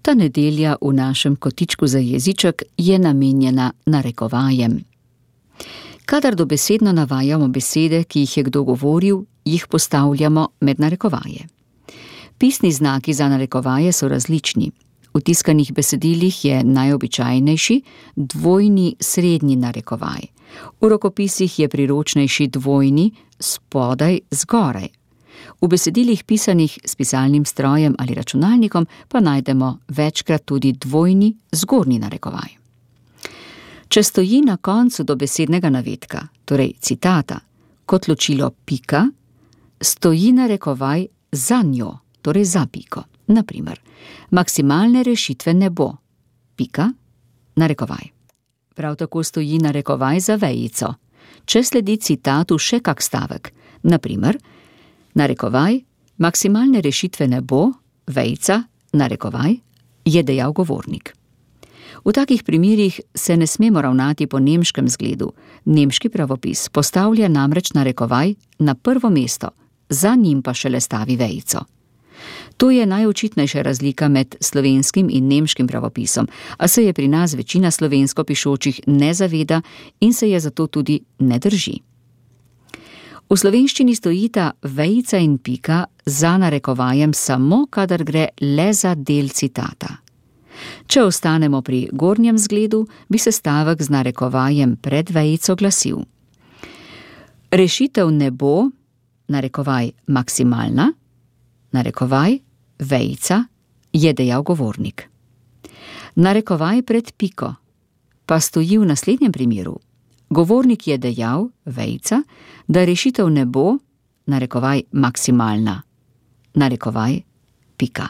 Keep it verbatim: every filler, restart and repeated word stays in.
Ta nedelja v našem kotičku za jeziček je namenjena narekovajem. Kadar dobesedno navajamo besede, ki jih je kdo govoril, jih postavljamo med narekovaje. Pisni znaki za narekovaje so različni. V tiskanih besedilih je najobičajnejši dvojni srednji narekovaj. V rokopisih je priročnejši dvojni spodaj zgoraj. V besedilih pisanih s pisalnim strojem ali računalnikom pa najdemo večkrat tudi dvojni zgornji narekovaj. Če stoji na koncu dobesednega navedka, torej citata, kot ločilo pika, stoji narekovaj za njo, torej za piko. Naprimer, maksimalne rešitve ne bo. Pika, narekovaj. Prav tako stoji narekovaj za vejico. Če sledi citatu še kak stavek, naprimer, narekovaj, maksimalne rešitve ne bo, vejica, narekovaj, je dejal govornik. V takih primerih se ne smemo ravnati po nemškem zgledu. Nemški pravopis postavlja namreč narekovaj na prvo mesto, za njim pa šele stavi vejico. To je najočitnejša razlika med slovenskim in nemškim pravopisom, a se je pri nas večina slovensko pišočih ne zaveda in se je zato tudi ne drži. V slovenščini stojita vejica in pika za narekovajem samo, kadar gre le za del citata. Če ostanemo pri gornjem zgledu, bi se stavek z narekovajem pred vejico glasil: rešitev ne bo, narekovaj maksimalna, narekovaj, vejica, je dejal govornik. Narekovaj pred piko pa stoji v naslednjem primeru. Govornik je dejal, vejica, da rešitev ne bo, narekovaj maksimalna, narekovaj, pika.